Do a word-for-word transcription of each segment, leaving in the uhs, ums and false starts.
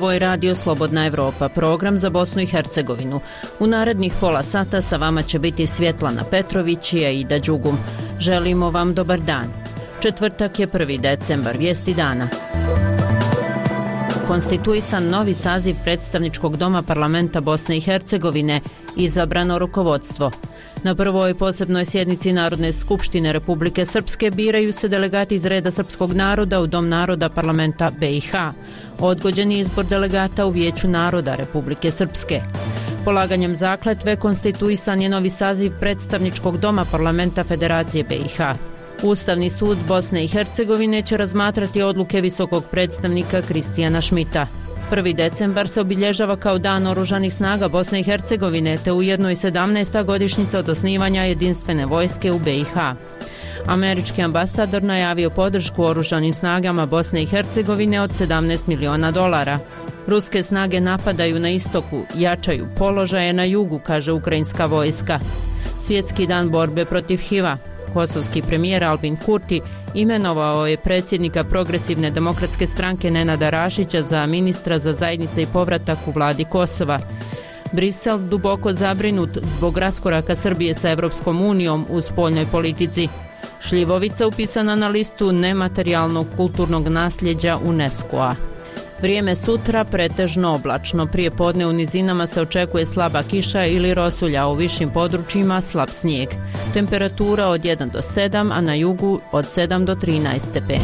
Ovo je Radio Slobodna Evropa, program za Bosnu i Hercegovinu. U narednih pola sata sa vama će biti Svjetlana Petrović i Aida Đugum. Želimo vam dobar dan. Četvrtak je prvi decembar, vijesti dana. Konstituisan novi saziv predstavničkog doma parlamenta Bosne i Hercegovine, izabrano rukovodstvo. Na prvoj posebnoj sjednici Narodne skupštine Republike Srpske biraju se delegati iz reda srpskog naroda u Dom naroda parlamenta B i H. Odgođen je izbor delegata u Vijeću naroda Republike Srpske. Polaganjem zakletve konstituisan je novi saziv predstavničkog doma parlamenta Federacije B i H. Ustavni sud Bosne i Hercegovine će razmatrati odluke visokog predstavnika Kristijana Šmita. prvi decembar se obilježava kao Dan oružanih snaga Bosne i Hercegovine, te ujedno i sedamnaesta godišnjica od osnivanja jedinstvene vojske u B i H. Američki ambasador najavio podršku oružanim snagama Bosne i Hercegovine od sedamnaest miliona dolara. Ruske snage napadaju na istoku, jačaju položaje na jugu, kaže ukrajinska vojska. Svjetski dan borbe protiv H I V-a. Kosovski premijer Albin Kurti imenovao je predsjednika Progresivne demokratske stranke Nenada Rašića za ministra za zajednice i povratak u vladi Kosova. Brisel duboko zabrinut zbog raskoraka Srbije sa Evropskom unijom u spoljnoj politici. Šljivovica upisana na listu nematerijalnog kulturnog nasljeđa UNESCO-a. Vrijeme sutra pretežno oblačno. Prije podne u nizinama se očekuje slaba kiša ili rosulja, u višim područjima slab snijeg. Temperatura od jedan do sedam, a na jugu od sedam do trinaest stepeni.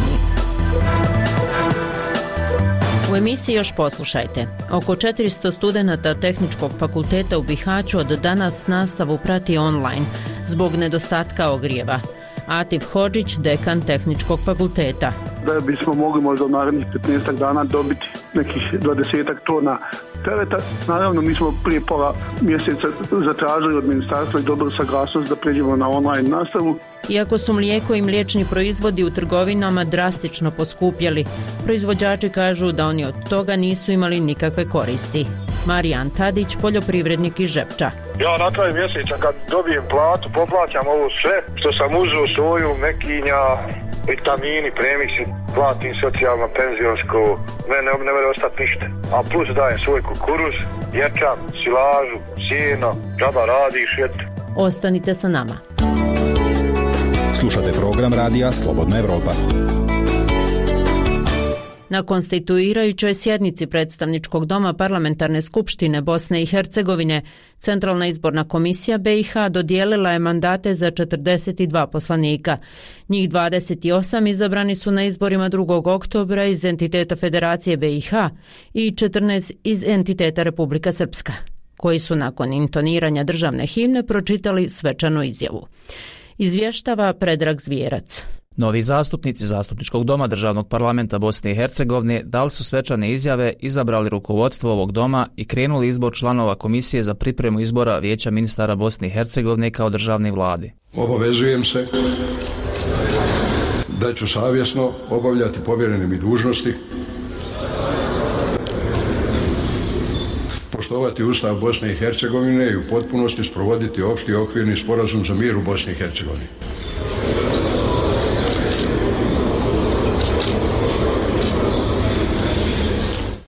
U emisiji još poslušajte. Oko četiristo studenata Tehničkog fakulteta u Bihaću od danas nastavu prati online zbog nedostatka ogrijeva. Atif Hodžić, dekan Tehničkog fakulteta. Da bismo mogli možda u narednih petnaestak dana dobiti nekih dvadesetak tona tereta. Naravno, mi smo prije pola mjeseca zatražili od ministarstva i dobili saglasnost da pređemo na online nastavu. Iako su mlijeko i mliječni proizvodi u trgovinama drastično poskupjeli, proizvođači kažu da oni od toga nisu imali nikakve koristi. Marijan Tadić, poljoprivrednik iz Žepča. Ja na kraju mjeseca kad dobijem platu, poplaćam ovo sve što sam uzeo, soju, mekinja, vitamini, premiksi, platim socijalno, penzionsko, mene ne može ostati ništa. A plus dajem svoj kukuruz, ječam, silažu, sjeno, džaba radiš, eto. Ostanite sa nama. Slušate program radija Slobodna Evropa. Na konstituirajućoj sjednici predstavničkog doma parlamentarne skupštine Bosne i Hercegovine, Centralna izborna komisija B i H dodijelila je mandate za četrdeset dva poslanika. Njih dvadeset osam izabrani su na izborima drugog oktobra iz entiteta Federacije B i H i četrnaest iz entiteta Republika Srpska, koji su nakon intoniranja državne himne pročitali svečanu izjavu. Izvještava Predrag Zvijerac. Novi zastupnici Zastupničkog doma Državnog parlamenta Bosne i Hercegovine dali su svečane izjave, izabrali rukovodstvo ovog doma i krenuli izbor članova Komisije za pripremu izbora Vijeća ministara Bosne i Hercegovine kao državne vlade. Obavezujem se da ću savjesno obavljati povjerene mi dužnosti, poštovati Ustav Bosne i Hercegovine i u potpunosti sprovoditi opšti okvirni sporazum za mir u Bosni i Hercegovini.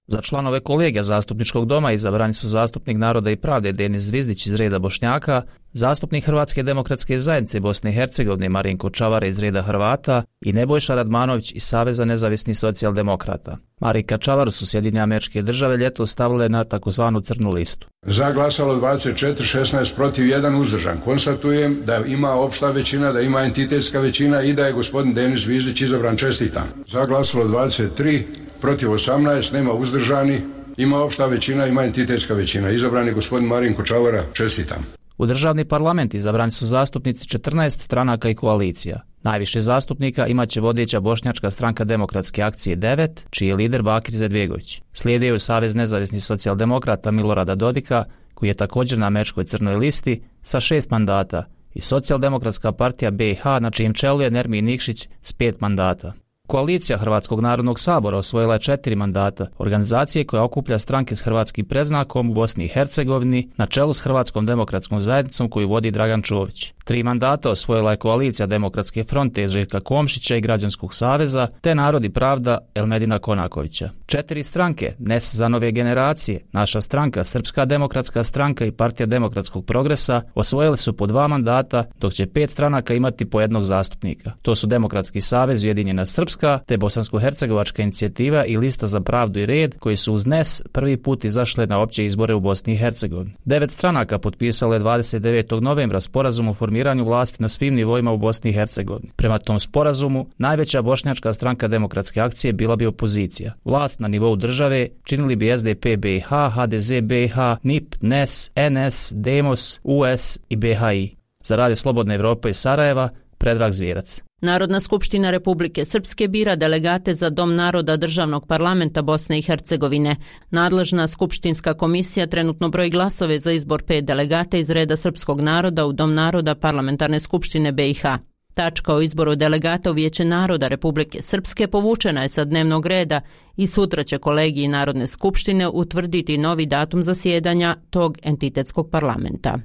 Za članove kolegija Zastupničkog doma izabrani su zastupnik Naroda i pravde Denis Zvizdić iz reda Bošnjaka, zastupnik Hrvatske demokratske zajednice Bosne i Hercegovine Marinko Čavara iz reda Hrvata i Nebojša Radmanović iz Saveza nezavisnih socijaldemokrata. Marinka Čavaru su Sjedinjene Američke Države ljetos stavile na takozvanu crnu listu. Za glasalo dvadeset četiri, šesnaest protiv, jedan uzdržan. Konstatujem da ima opšta većina, da ima entitetska većina i da je gospodin Denis Zvizdić izabran. Čestitam. Za glasalo dvadeset tri, protiv osamnaest, nema uzdržani, ima opšta većina, ima entitetska većina. Izabran je gospodin Marinko Čavara. Čestitam. U državni parlament izabrani su zastupnici četrnaest stranaka i koalicija. Najviše zastupnika imaće vodeća bošnjačka stranka Demokratske akcije devet, čiji je lider Bakir Izetbegović. Slijeduje Savez nezavisnih socijaldemokrata Milorada Dodika, koji je također na američkoj crnoj listi sa šest mandata, i Socijaldemokratska partija B i H, na čijem čelu je Nermin Nikšić s pet mandata. Koalicija Hrvatskog narodnog sabora osvojila je četiri mandata, organizacije koja okuplja stranke s hrvatskim predznakom u Bosni i Hercegovini na čelu s Hrvatskom demokratskom zajednicom koju vodi Dragan Čović. Tri mandata osvojila je koalicija Demokratske fronte Željka Komšića i Građanskog saveza, te Narod i pravda Elmedina Konakovića. Četiri stranke, N E S za nove generacije, Naša stranka, Srpska demokratska stranka i Partija demokratskog progresa osvojili su po dva mandata, dok će pet stranaka imati po jednog zastupnika. To su Demokratski savez Ujedinjena Srpska, te Bosansko-hercegovačka inicijativa i Lista za pravdu i red, koji su uz N E S prvi put izašle na opće izbore u Bosni i Hercegovini. Devet stranaka potpisalo je dvadeset devetog novembra sporazum o formiranju vlasti na svim nivoima u Bosni i Hercegovini. Prema tom sporazumu, najveća bošnjačka stranka Demokratske akcije bila bi opozicija. Vlast na nivou države činili bi S D P B i H, H D Z B i H, N I P, N E S, N S, Demos, U S i B H I. Za Radio Slobodne Evrope iz Sarajeva, Predrag Zvijerac. Narodna skupština Republike Srpske bira delegate za Dom naroda Državnog parlamenta Bosne i Hercegovine. Nadležna skupštinska komisija trenutno broji glasove za izbor pet delegata iz reda srpskog naroda u Dom naroda Parlamentarne skupštine B i H. Tačka o izboru delegata u Vijeće naroda Republike Srpske povučena je sa dnevnog reda i sutra će kolegiji Narodne skupštine utvrditi novi datum zasjedanja tog entitetskog parlamenta.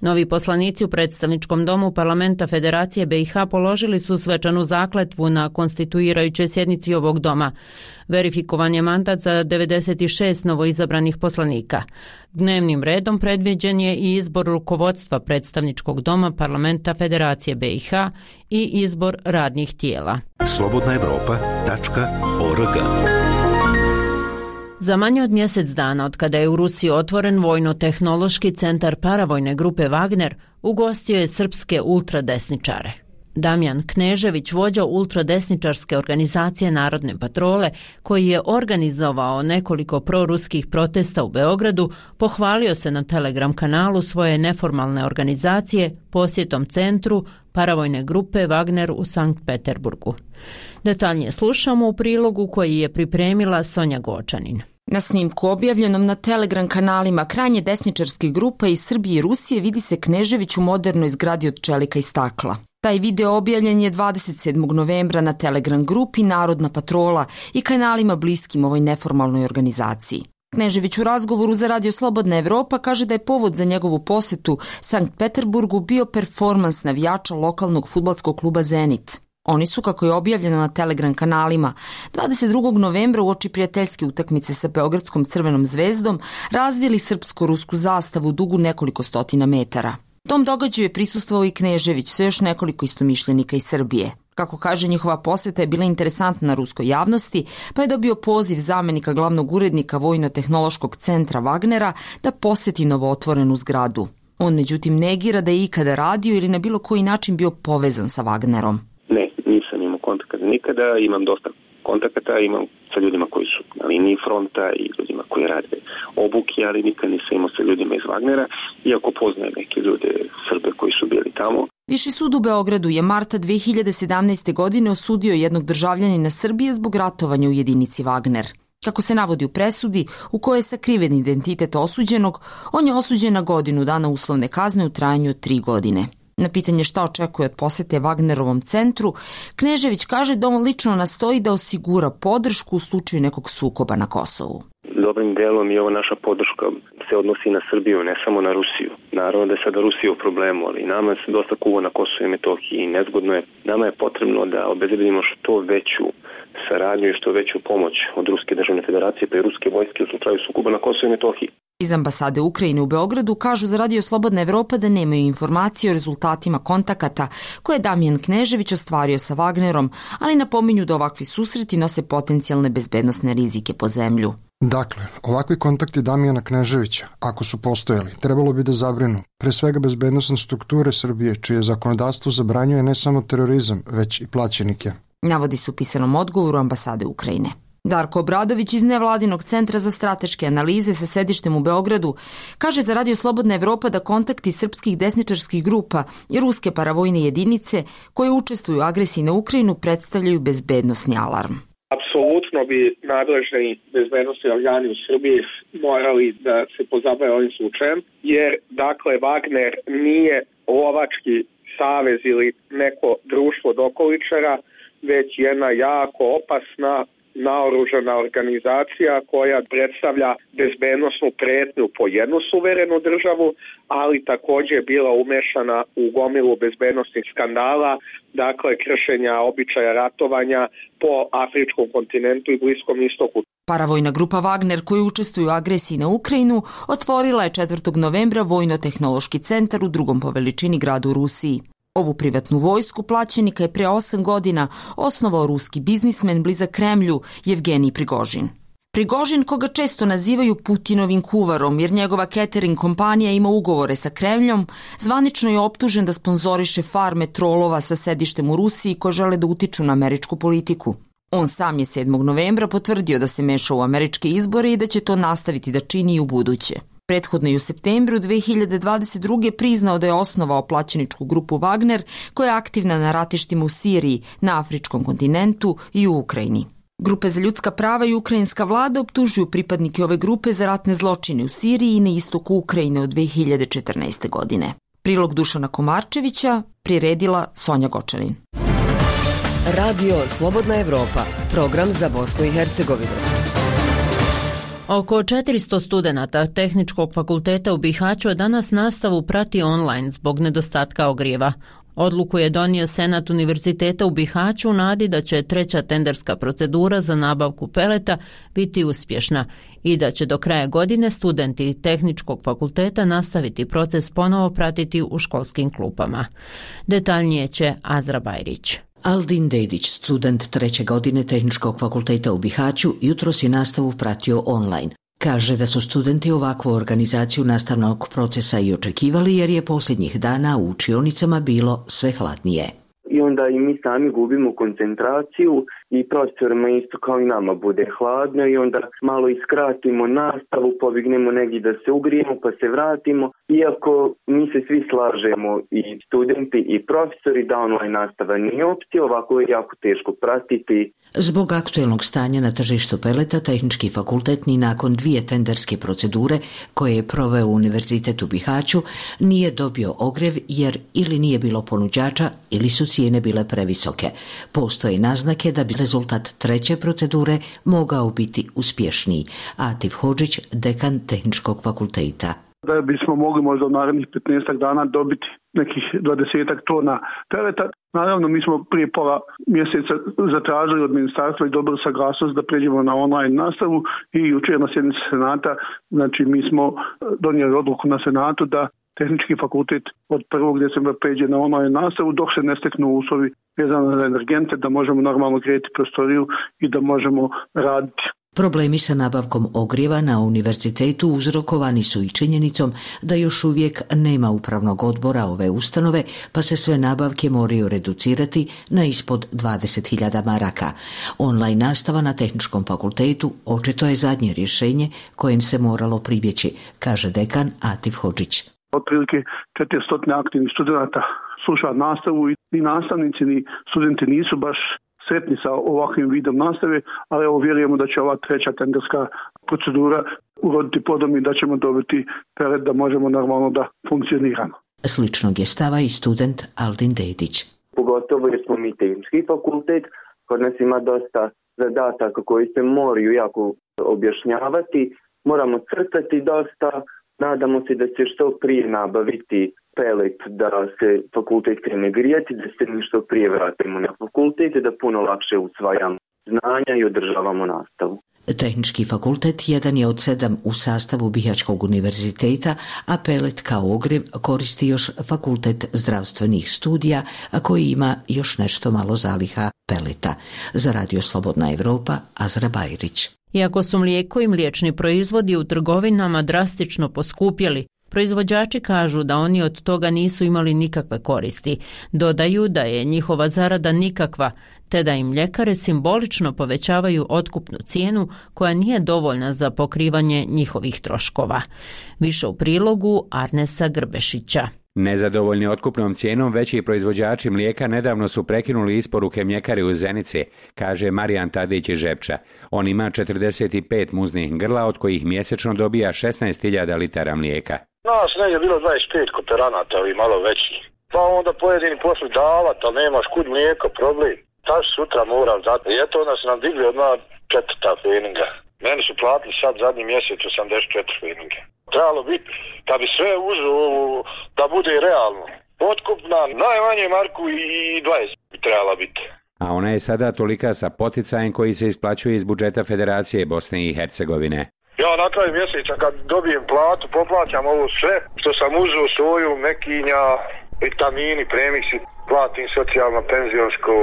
Novi poslanici u predstavničkom domu parlamenta Federacije B i H položili su svečanu zakletvu na konstituirajućoj sjednici ovog doma. Verifikovan je mandat za devedeset šest novoizabranih poslanika. Dnevnim redom predviđen je i izbor rukovodstva predstavničkog doma parlamenta Federacije B i H i izbor radnih tijela. slobodna evropa tačka org. Za manje od mjesec dana od kada je u Rusiji otvoren vojno-tehnološki centar paravojne grupe Wagner, ugostio je srpske ultradesničare. Damjan Knežević, vođa ultradesničarske organizacije Narodne patrole, koji je organizovao nekoliko proruskih protesta u Beogradu, pohvalio se na Telegram kanalu svoje neformalne organizacije posjetom centru paravojne grupe Wagner u Sankt Peterburgu. Detaljnije slušamo u prilogu koji je pripremila Sonja Gočanin. Na snimku objavljenom na Telegram kanalima krajnje desničarskih grupa iz Srbije i Rusije vidi se Knežević u modernoj zgradi od čelika i stakla. Taj video objavljen je dvadeset sedmog novembra na Telegram grupi Narodna patrola i kanalima bliskim ovoj neformalnoj organizaciji. Knežević u razgovoru za Radio Slobodna Evropa kaže da je povod za njegovu posjetu Sankt Peterburgu bio performans navijača lokalnog fudbalskog kluba Zenit. Oni su, kako je objavljeno na Telegram kanalima, dvadeset drugog novembra uoči prijateljske utakmice sa Beogradskom Crvenom zvezdom razvili srpsko-rusku zastavu dugu nekoliko stotina metara. Tom događaju je prisustvovao i Knežević sa još nekoliko istomišljenika iz Srbije. Kako kaže, njihova posjeta je bila interesantna na ruskoj javnosti, pa je dobio poziv zamenika glavnog urednika Vojno-tehnološkog centra Wagnera da posjeti novootvorenu zgradu. On međutim negira da je ikada radio ili na bilo koji način bio povezan sa Wagnerom. Ne, nisam imao kontakata nikada, imam dosta kontakata, imam sa ljudima koji su na liniji fronta i ljudima koji rade obuke, ali nikad nisam imao sa ljudima iz Wagnera, iako poznajem neke ljude Srbe koji su bili tamo. Viši sud u Beogradu je marta dve hiljade sedamnaeste. godine osudio jednog državljanina Srbije zbog ratovanja u jedinici Wagner. Kako se navodi u presudi, u kojoj je sakriven identitet osuđenog, on je osuđen na godinu dana uslovne kazne u trajanju od tri godine. Na pitanje šta očekuje od posete Wagnerovom centru, Knežević kaže da on lično nastoji da osigura podršku u slučaju nekog sukoba na Kosovu. Dobrim delom i ova naša podrška se odnosi na Srbiju, ne samo na Rusiju. Naravno da je sada Rusija u problemu, ali nama se dosta kuva na Kosovu i Metohiji i nezgodno je. Nama je potrebno da obezbedimo što veću saradnju i što veću pomoć od Ruske državne federacije pa i ruske vojske u slučaju sukoba na Kosovu i Metohiji. Iz ambasade Ukrajine u Beogradu kažu za Radio Slobodna Evropa da nemaju informacije o rezultatima kontakata koje je Damjan Knežević ostvario sa Wagnerom, ali napominju da ovakvi susreti nose potencijalne bezbednosne rizike po zemlju. Dakle, ovakvi kontakti Damjana Kneževića, ako su postojali, trebalo bi da zabrinu pre svega bezbednosne strukture Srbije, čije zakonodavstvo zabranjuje ne samo terorizam, već i plaćenike. Navodi se u pisanom odgovoru ambasade Ukrajine. Darko Obradović iz Nevladinog centra za strateške analize sa sedištem u Beogradu kaže za Radio Slobodna Evropa da kontakti srpskih desničarskih grupa i ruske paravojne jedinice koje učestvuju u agresiji na Ukrajinu predstavljaju bezbednosni alarm. Apsolutno bi nadležni bezbednosni organi u Srbiji morali da se pozabave ovim slučajem, jer dakle Wagner nije lovački savez ili neko društvo dokoličara, već jedna jako opasna naoružana organizacija koja predstavlja bezbednosnu pretnju po jednu suverenu državu, ali također je bila umešana u gomilu bezbednosnih skandala, dakle kršenja običaja ratovanja po afričkom kontinentu i Bliskom istoku. Paravojna grupa Wagner koja učestvuje u agresiji na Ukrajinu otvorila je četvrtog novembra Vojno-tehnološki centar u drugom po veličini gradu u Rusiji. Ovu privatnu vojsku plaćenika je pre osam godina osnovao ruski biznismen blizak Kremlju Jevgenij Prigožin. Prigožin, koga često nazivaju Putinovim kuvarom jer njegova catering kompanija ima ugovore sa Kremljom, zvanično je optužen da sponzoriše farme trolova sa sedištem u Rusiji koji žele da utiču na američku politiku. On sam je sedmog novembra potvrdio da se meša u američke izbore i da će to nastaviti da čini i u buduće. Prethodno je u septembru dve hiljade dvadeset druge priznao da je osnovao plaćeničku grupu Wagner koja je aktivna na ratištima u Siriji, na afričkom kontinentu i u Ukrajini. Grupe za ljudska prava i ukrajinska vlada optužuju pripadnike ove grupe za ratne zločine u Siriji i na istoku Ukrajine od dve hiljade četrnaeste. godine. Prilog Dušana Komarčevića priredila Sonja Gočanin. Radio Slobodna Evropa, program za Bosnu i Hercegovinu. Oko četiristo studenata Tehničkog fakulteta u Bihaću danas nastavu prati online zbog nedostatka ogrijeva. Odluku je donio Senat Univerziteta u Bihaću u nadi da će treća tenderska procedura za nabavku peleta biti uspješna i da će do kraja godine studenti Tehničkog fakulteta nastaviti proces ponovo pratiti u školskim klupama. Detaljnije će Azra Bajrić. Aldin Dedić, student treće godine Tehničkog fakulteta u Bihaću, jutros je nastavu pratio online. Kaže da su studenti ovakvu organizaciju nastavnog procesa i očekivali jer je posljednjih dana u učionicama bilo sve hladnije. I onda i mi sami gubimo koncentraciju i profesorima isto kao i nama bude hladno i onda malo iskratimo nastavu, pobignemo negdje da se ugrijemo pa se vratimo. Iako mi se svi slažemo i studenti i profesori da online nastava nije opcija, ovako je jako teško pratiti. Zbog aktuelnog stanja na tržištu peleta, Tehnički fakultet ni nakon dvije tenderske procedure koje je proveo Univerzitet u Bihaću nije dobio ogrev jer ili nije bilo ponuđača ili su cijene bile previsoke. Postoje naznake da bi rezultat treće procedure mogao biti uspješniji. Atif Hodžić, dekan Tehničkog fakulteta. Da bismo mogli možda u narednih petnaestak dana dobiti nekih dvadesetak tona peleta. Naravno, mi smo prije pola mjeseca zatražili od ministarstva i dobili saglasnost da pređemo na online nastavu i jučer na sjednici Senata, znači mi smo donijeli odluku na Senatu da Tehnički fakultet od prvog decembra pređe na online nastavu dok se ne steknu uslovi vezano za energente, da možemo normalno grijeti prostoriju i da možemo raditi. Problemi sa nabavkom ogrijeva na univerzitetu uzrokovani su i činjenicom da još uvijek nema upravnog odbora ove ustanove, pa se sve nabavke moraju reducirati na ispod dvadeset hiljada maraka. Online nastava na Tehničkom fakultetu očito je zadnje rješenje kojem se moralo pribjeći, kaže dekan Atif Hodžić. Otprilike četiristo aktivnih studenta sluša nastavu i nastavnici ni studenti nisu baš sretni sa ovakvim vidom nastave, ali evo vjerujemo da će ova treća tenderska procedura uroditi plodom i da ćemo dobiti pelet da možemo normalno da funkcioniramo. Sličnog je stava i student Aldin Dedić. Pogotovo jer smo mi Tehnički fakultet, kod nas ima dosta zadataka koji se moraju jako objašnjavati, moramo crtati dosta, nadamo se da će što prije nabaviti pelet da se fakultet krene grijati, da se što prije vratimo na fakultet i da puno lakše usvajamo znanja i održavamo nastavu. Tehnički fakultet jedan je od sedam u sastavu Bihaćkog univerziteta, a pelet kao ogrev koristi još Fakultet zdravstvenih studija, a koji ima još nešto malo zaliha peleta. Za Radio Slobodna Evropa, Azra Bajrić. Iako su mlijeko i mliječni proizvodi u trgovinama drastično poskupjeli, proizvođači kažu da oni od toga nisu imali nikakve koristi. Dodaju da je njihova zarada nikakva, te da im mljekare simbolično povećavaju otkupnu cijenu koja nije dovoljna za pokrivanje njihovih troškova. Više u prilogu Arnesa Grbešića. Nezadovoljni otkupnom cijenom veći proizvođači mlijeka nedavno su prekinuli isporuke mljekare u Zenici, kaže Marijan Tadić iz Žepča. On ima četrdeset pet muznih grla od kojih mjesečno dobija šesnaest hiljada litara mlijeka. Nas ne je bilo dvadeset pet kooperanata, ali malo veći. Pa onda pojedini poslu davati, ali nemaš kud mlijeko, problem. Taš sutra moram dati. I eto onda su nam digli odmah četvrta feninga. Meni su platili sad zadnji mjesec osamdeset četiri feninge. Trebalo biti, da bi sve uzeo, da bude realno. Otkupna najmanje marku i dvadeset bi trebala biti. A ona je sada tolika sa poticajem koji se isplaćuje iz budžeta Federacije Bosne i Hercegovine. Ja na kraju mjeseca kad dobijem platu, poplaćam ovo sve što sam uzeo, soju, mekinja, vitamini, premiksi, platim socijalno, penzionsko,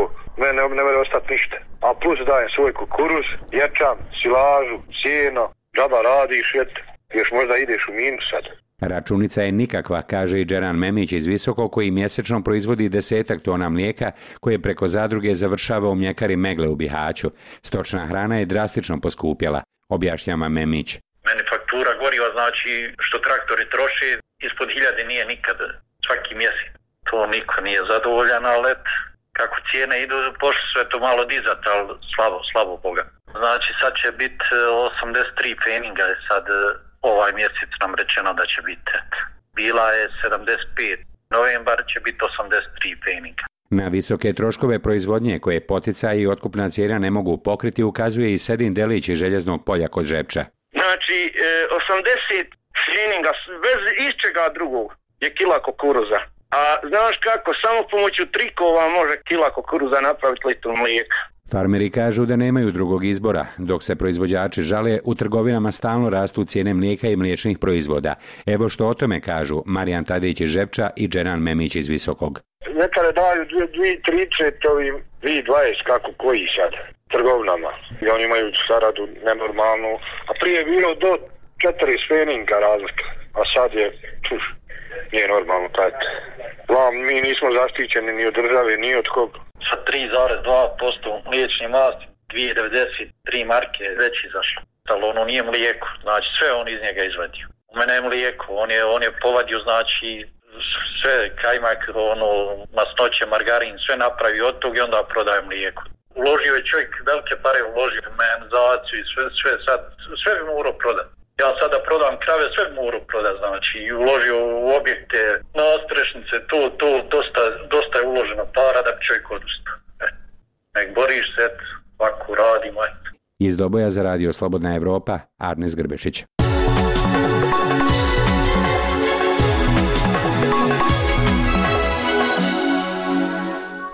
mene ne može ostati ništa. A plus dajem svoj kukuruz, ječam, silažu, sjeno, džaba radiš, et, još možda ideš u minus sad. Računica je nikakva, kaže i Džeran Memić iz Visoko, koji mjesečno proizvodi desetak tona mlijeka koje preko zadruge završava u mljekari Megle u Bihaću. Stočna hrana je drastično poskupjela, objašnjava Memić. Meni faktura goriva znači što traktori troši ispod hiljade nije nikad, svaki mjesec. To niko nije zadovoljan, ali kako cijene idu, pošli sve to malo dizat, ali slabo, slabo Boga. Znači sad će biti osamdeset tri feninga, je sad ovaj mjesec nam rečeno da će biti. Bila je sedamdeset pet, novembar će biti osamdeset tri feninga. Na visoke troškove proizvodnje koje poticaji i otkupna cijena ne mogu pokriti ukazuje i Sedin Delić iz Željeznog polja kod Žepča. Znači osamdeset feninga bez iščega drugog je kila kukuruza. A znaš kako, samo pomoću trikova može kila kukuruza napraviti litru mlijeka. Farmeri kažu da nemaju drugog izbora, dok se proizvođači žale, u trgovinama stalno rastu cijene mlijeka i mliječnih proizvoda. Evo što o tome kažu Marijan Tadić iz Žepča i Džeran Memić iz Visokog. Nekada daju dvije trideset ovim dvije dvadeset kako koji sad trgovinama. I oni imaju zaradu nenormalnu, a prije je bilo do četiri feninga razlika, a sad je čuš, nije normalno taj. Vam, mi nismo zaštićeni ni od države, ni od koga. Sa tri zarez dva posto mliječni masti, dvije devedeset tri marke već izašlo. Ali ono nije mlijeko, znači sve on iz njega izvadio. U mene je mlijeko, on je, on je povadio znači sve kajmak, ono, masnoće, margarin, sve napravi od tog i onda prodaje mlijeko. Uložio je čovjek velike pare, uložio u mehanizaciju i sve, sve sad, sve bi morao prodati. Ja sada prodam krave, sve bi morao prodati, znači i uložio u objekte, na strešnice, to, to, dosta, dosta je uloženo para da bi čovjek odustao. E, nek boriš se, ovako radimo, eto. Iz Doboja za radio Slobodna Evropa, Arnes Grbešić.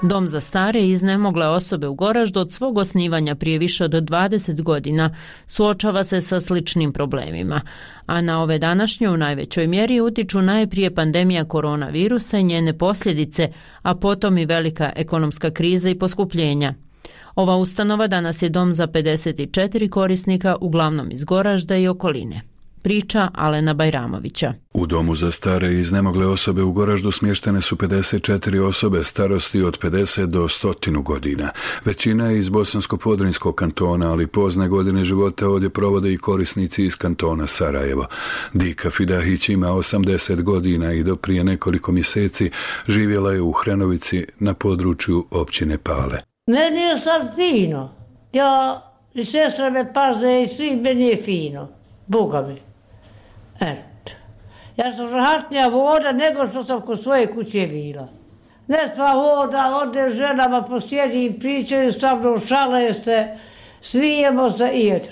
Dom za stare i iznemogle osobe u Goraždu od svog osnivanja prije više od dvadeset godina suočava se sa sličnim problemima, a na ove današnje u najvećoj mjeri utiču najprije pandemija koronavirusa i njene posljedice, a potom i velika ekonomska kriza i poskupljenja. Ova ustanova danas je dom za pedeset četiri korisnika, uglavnom iz Goražda i okoline. Priča Alena Bajramovića. U domu za stare i iznemogle osobe u Goraždu smještene su pedeset četiri osobe starosti od pedeset do sto godina. Većina je iz Bosansko-Podrinjskog kantona, ali pozne godine života ovdje provode i korisnici iz kantona Sarajevo. Dika Fidahić ima osamdeset godina i do prije nekoliko mjeseci živjela je u Hrenovici na području općine Pale. Meni je sad fino. Ja i sestra me paze i svi, meni je fino. Boga mi. Eto. Ja sam rahatnija voda nego što sam kod svoje kuće bila. Ne sva voda, ode ženama posjedi, pričaju sa mnom, šale se, smijemo se i eto.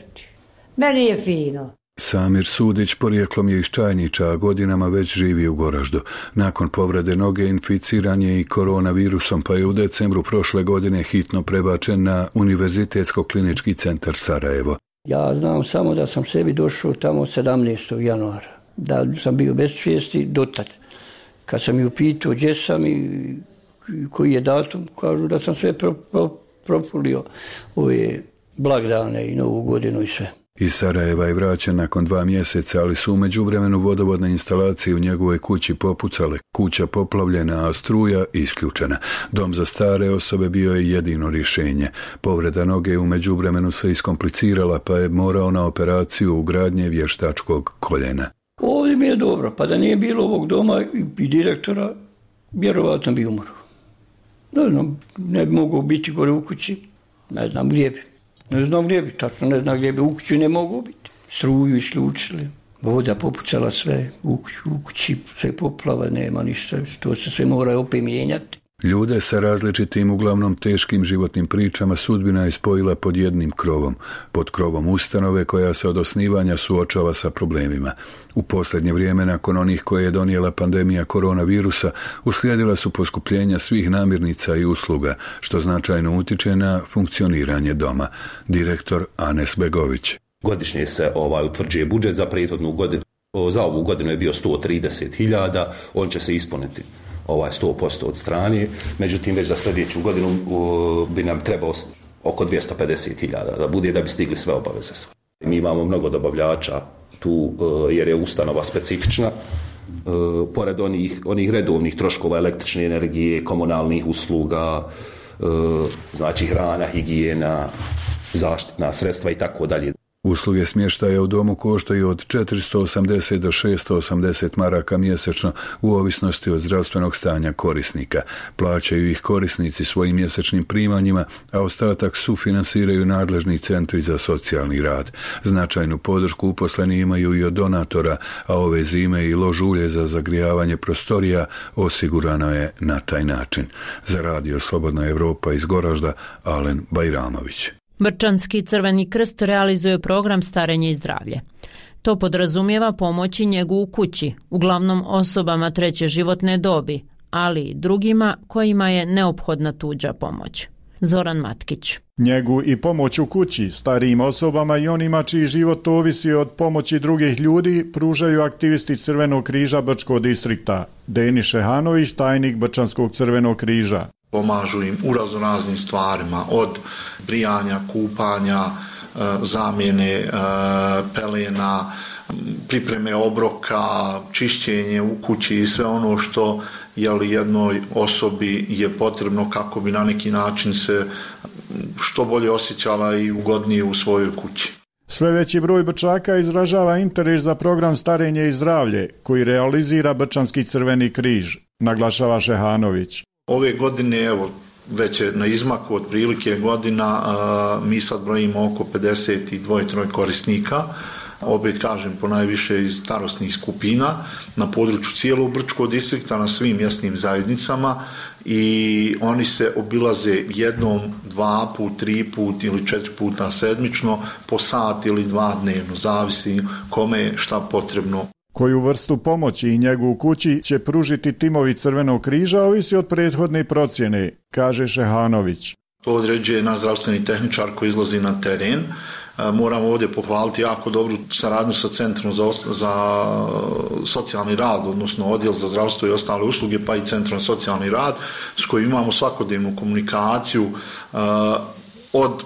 Meni je fino. Samir Sudić porijeklom je iz Čajnića, a godinama već živi u Goraždu. Nakon povrede noge inficiran je i koronavirusom, pa je u decembru prošle godine hitno prebačen na Univerzitetsko-klinički centar Sarajevo. Ja znam samo da sam sebi došao tamo sedamnaestog januara, da sam bio bez svijesti dotad. Kad sam ju upitao gdje sam i koji je datum, kažu da sam sve pro, pro, propulio ove blagdane i novu godinu i sve. Iz Sarajeva je vraćen nakon dva mjeseca, ali su u međuvremenu vodovodne instalacije u njegovoj kući popucale, kuća poplavljena, a struja isključena. Dom za stare osobe bio je jedino rješenje. Povreda noge u međuvremenu se iskomplicirala, pa je morao na operaciju ugradnje vještačkog koljena. Ovdje mi je dobro, pa da nije bilo ovog doma i direktora, vjerovatno bi umro. Ne znam, ne bi mogao biti gore u kući, ne znam gdje bi. Ne znam gdje bi, tačno ne znam gdje bi, u kući ne mogu biti. Struju isključili, voda popucala sve, u, u kući sve poplava, nema ništa, to se sve mora opet mijenjati. Ljude sa različitim, uglavnom teškim životnim pričama sudbina je spojila pod jednim krovom, pod krovom ustanove koja se od osnivanja suočava sa problemima. U posljednje vrijeme, nakon onih koje je donijela pandemija koronavirusa, uslijedila su poskupljenja svih namirnica i usluga, što značajno utiče na funkcioniranje doma. Direktor Anes Begović. Godišnje se ovaj utvrđuje budžet za prethodnu godinu. Za ovu godinu je bio sto trideset hiljada, on će se ispuniti ovaj sto posto od strane, međutim već za sljedeću godinu uh, bi nam trebalo oko dvjesto pedeset hiljada da bude da bi stigli sve obaveze. Mi imamo mnogo dobavljača tu uh, jer je ustanova specifična, uh, pored onih, onih redovnih troškova električne energije, komunalnih usluga, uh, znači hrana, higijena, zaštitna sredstva i tako dalje. Usluge smještaja u domu koštaju od četiristo osamdeset do šesto osamdeset maraka mjesečno u ovisnosti od zdravstvenog stanja korisnika. Plaćaju ih korisnici svojim mjesečnim primanjima, a ostatak sufinansiraju nadležni centri za socijalni rad. Značajnu podršku uposleni imaju i od donatora, a ove zime i lož ulje za zagrijavanje prostorija osigurano je na taj način. Za Radio Slobodna Evropa iz Goražda, Alen Bajramović. Brčanski Crveni krst realizuje program Starenje i zdravlje. To podrazumijeva pomoć i njegu u kući, uglavnom osobama treće životne dobi, ali i drugima kojima je neophodna tuđa pomoć. Zoran Matkić. Njegu i pomoć u kući starijim osobama i onima čiji život ovisi od pomoći drugih ljudi pružaju aktivisti Crvenog križa Brčkog distrikta. Deni Šehanović, tajnik Brčanskog Crvenog križa. Pomažu im u raznoraznim stvarima, od brijanja, kupanja, zamjene pelena, pripreme obroka, čišćenje u kući i sve ono što jeli, jednoj osobi je potrebno kako bi na neki način se što bolje osjećala i ugodnije u svojoj kući. Sve veći broj Brčaka izražava interes za program Starenje i zdravlje koji realizira Brčanski Crveni križ, naglašava Šehanović. Ove godine, evo, već je na izmaku otprilike godina, a, mi sad brojimo oko pedeset dva korisnika, opet kažem ponajviše iz starosnih skupina, na području cijelog Brčkog distrikta, na svim mjesnim zajednicama i oni se obilaze jednom, dva put, tri put ili četiri puta sedmično, po sat ili dva dnevno, zavisi kome je šta potrebno. Koju vrstu pomoći i njegu u kući će pružiti timovi Crvenog križa ovisi od prethodne procjene, kaže Šehanović. To određuje naš zdravstveni tehničar koji izlazi na teren. Moramo ovdje pohvaliti jako dobru saradnju sa Centrom za, za socijalni rad, odnosno Odjel za zdravstvo i ostale usluge, pa i Centrom za socijalni rad, s kojim imamo svakodnevnu komunikaciju uh, od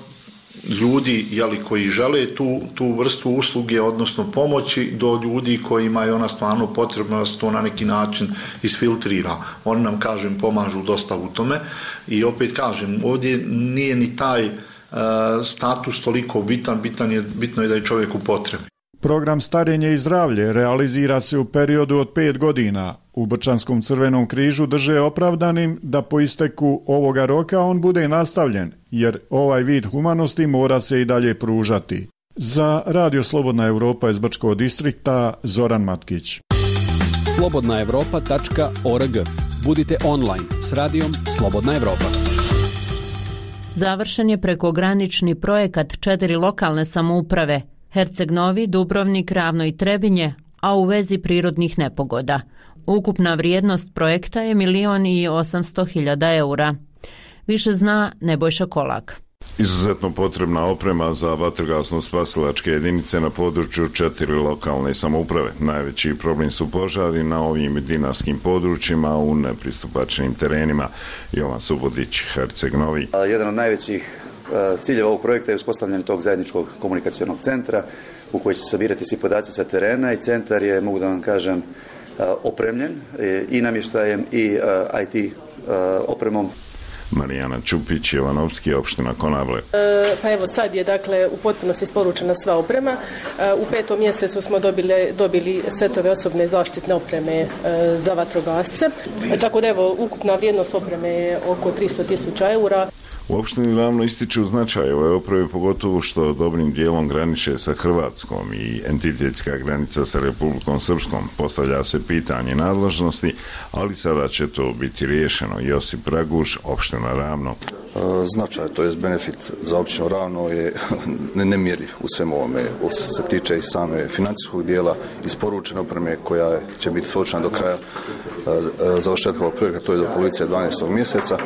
ljudi jeli, koji žele tu, tu vrstu usluge, odnosno pomoći, do ljudi kojima je ona stvarno potrebna da se to na neki način isfiltrira. Oni nam, kažem, pomažu dosta u tome i opet kažem, ovdje nije ni taj uh, status toliko bitan, bitan je, bitno je da je čovjek u potrebi. Program Starenje i zdravlje realizira se u periodu od pet godina. U Brčanskom Crvenom križu drže opravdanim da po isteku ovoga roka on bude nastavljen, jer ovaj vid humanosti mora se i dalje pružati. Za Radio Slobodna Evropa iz Brčkog distrikta, Zoran Matkić. slobodna evropa tačka org. Budite online s radijom Slobodna Evropa. Završen je prekogranični projekat četiri lokalne samouprave Herceg Novi, Dubrovnik, Ravno i Trebinje, a u vezi prirodnih nepogoda. Ukupna vrijednost projekta je milion i osamsto hiljada eura. Više zna Nebojša Kolak. Izuzetno potrebna oprema za vatrogasno-spasilačke jedinice na području četiri lokalne samouprave. Najveći problem su požari na ovim dinarskim područjima u nepristupačnim terenima. Jovan Subodić, Herceg Novi. Jedan od najvećih ciljeva ovog projekta je uspostavljanje tog zajedničkog komunikacionog centra u koji će se sabirati svi podaci sa terena i centar je, mogu da vam kažem, opremljen i namještajem i I T opremom. Marijana Čupić, Jovanovski, opština Konavle. E, pa evo sad je dakle u potpunosti isporučena sva oprema. E, u petom mjesecu smo dobili, dobili setove osobne zaštitne opreme e, za vatrogasce. E, tako da evo ukupna vrijednost opreme je oko tristo tisuća eura. U opštini Ravno ističu značaj ove oprave, pogotovo što dobrim dijelom graniče sa Hrvatskom i entitetska granica sa Republikom Srpskom. Postavlja se pitanje nadležnosti, ali sada će to biti riješeno. Josip Raguš, opština Ravno. Značaj, to je benefit za općinu Ravno je nemjerljiv u svemu ovome. Što se tiče i same financijskog dijela, isporučene opreme koja će biti isporučena do kraja završetka ovog projekta, to je do policije dvanaestog mjeseca,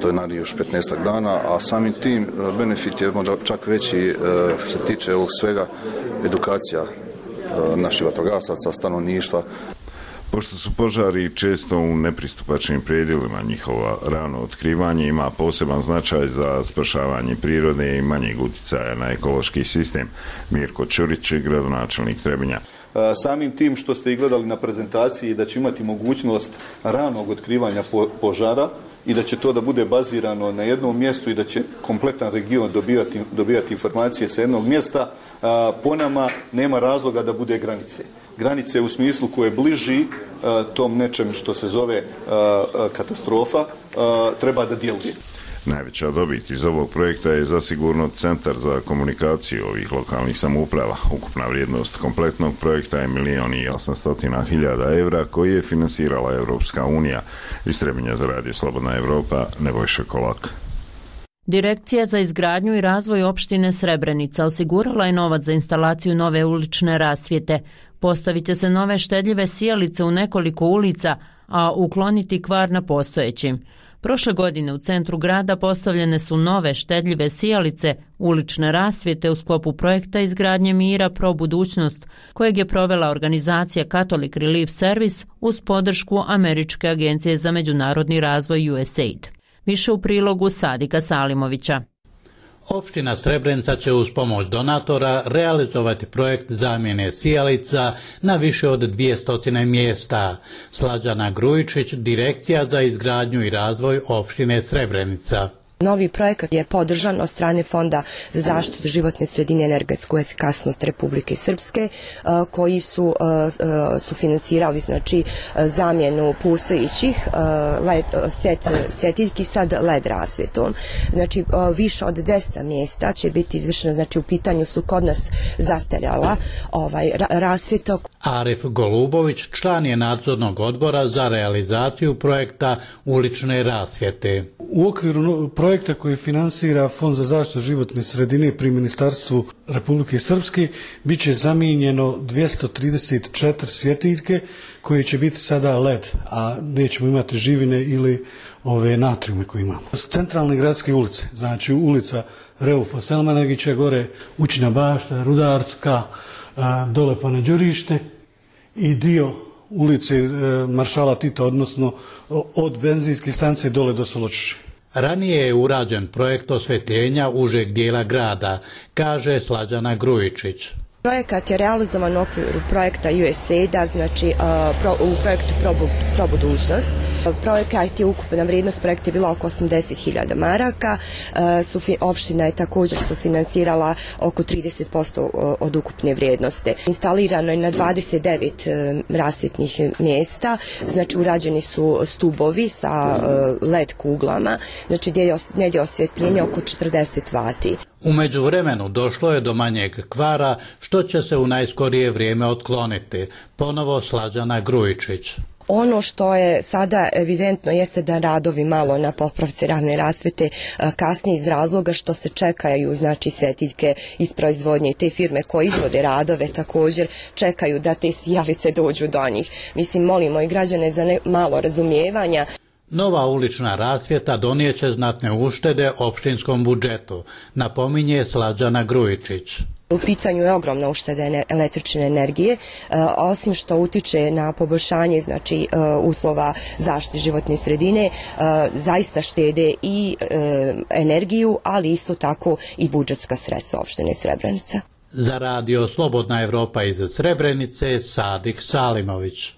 to je naravno još petnaestak dana, a samim tim benefit je možda čak veći što se tiče ovog svega edukacija naših vatrogasaca, stanovništva. Pošto su požari često u nepristupačnim predjelima, njihova rano otkrivanje ima poseban značaj za spašavanje prirode i manjeg utjecaja na ekološki sistem. Mirko Ćurić, gradonačelnik Trebinja. Samim tim što ste i gledali na prezentaciji da će imati mogućnost ranog otkrivanja požara i da će to da bude bazirano na jednom mjestu i da će kompletan region dobivati, dobivati informacije sa jednog mjesta, po nama nema razloga da bude granice. Granice u smislu koje bliži tom nečem što se zove katastrofa treba da djeluje. Najveća dobit iz ovog projekta je zasigurno centar za komunikaciju ovih lokalnih samouprava. Ukupna vrijednost kompletnog projekta je milijon i osamstotina hiljada evra koji je finansirala Europska unija. Iz Trebinja za Radio Slobodna Evropa, Nebojša Kolak. Direkcija za izgradnju i razvoj opštine Srebrenica osigurala je novac za instalaciju nove ulične rasvjete. Postavit će se nove štedljive sijalice u nekoliko ulica, a ukloniti kvar na postojećim. Prošle godine u centru grada postavljene su nove štedljive sijalice ulične rasvjete u sklopu projekta izgradnje mira Pro budućnost, kojeg je provela organizacija Catholic Relief Service uz podršku Američke agencije za međunarodni razvoj U S A I D. Više u prilogu Sadika Salimovića. Opština Srebrenica će uz pomoć donatora realizovati projekt zamjene sijalica na više od dvjesto mjesta. Slađana Grujičić, Direkcija za izgradnju i razvoj opštine Srebrenica. Novi projekat je podržan od strane Fonda za zaštitu životne sredine i energetsku efikasnost Republike Srpske, koji su sufinansirali znači zamjenu postojećih led svjetiljki sa L E D rasvjetom. Znači više od dvjesto mjesta će biti izvršeno, znači u pitanju su kod nas zastarjala ovaj rasvjeta. Arif Golubović, član je nadzornog odbora za realizaciju projekta ulične rasvjete. U okviru projekta koji finansira Fond za zaštitu životne sredine pri Ministarstvu Republike Srpske bit će zamijenjeno dvjesto trideset četiri svjetiljke koje će biti sada L E D, a nećemo imati živine ili ove natrijume koje imamo. S centralne gradske ulice, znači ulica Reufa Selmanagića, gore Učina bašta, Rudarska, dole pa na Đurište i dio ulice Maršala Tita, odnosno od benzinske stanice dole do Soločiše. Ranije je urađen projekt osvjetljenja užeg dijela grada, kaže Slađana Grujičić. Projekat je realizovan u okviru projekta U S A I D-a, znači u projektu Pro budućnost. Projekat je ukupna vrijednost projekta je bila oko osamdeset hiljada maraka. Opština je također sufinansirala oko trideset posto od ukupne vrijednosti. Instalirano je na dvadeset devet rasvjetnih mjesta, znači urađeni su stubovi sa L E D kuglama, znači negdje osvjetljenje oko četrdeset vati. U međuvremenu došlo je do manjeg kvara, što će se u najskorije vrijeme otkloniti. Ponovo Slađana Grujičić. Ono što je sada evidentno jeste da radovi malo na popravci ravne rasvjete kasnije iz razloga što se čekaju znači svjetiljke iz proizvodnje i te firme koje izvode radove također čekaju da te sijalice dođu do njih. Mislim, molimo i građane za ne, malo razumijevanja. Nova ulična rasvjeta donijeće znatne uštede opštinskom budžetu, napominje Slađana Grujičić. U pitanju je ogromna ušteda električne energije, osim što utiče na poboljšanje znači uslova zaštite životne sredine, zaista štede i energiju, ali isto tako i budžetska sredstva opštine Srebrenica. Za Radio Slobodna Evropa iz Srebrenice, Sadik Salimović.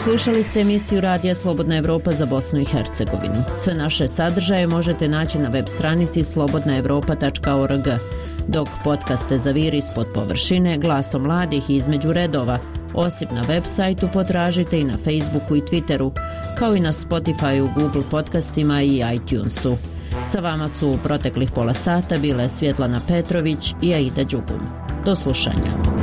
Slušali ste emisiju Radija Slobodna Evropa za Bosnu i Hercegovinu. Sve naše sadržaje možete naći na web stranici slobodna evropa tačka org. Dok podcaste Zaviri ispod površine, Glasom mladih i Između redova Osim na web sajtu potražite i na Facebooku i Twitteru, kao i na Spotifyu, Google podcastima i iTunesu. Sa vama su u proteklih pola sata bile Svjetlana Petrović i Aida Đugum. Do slušanja.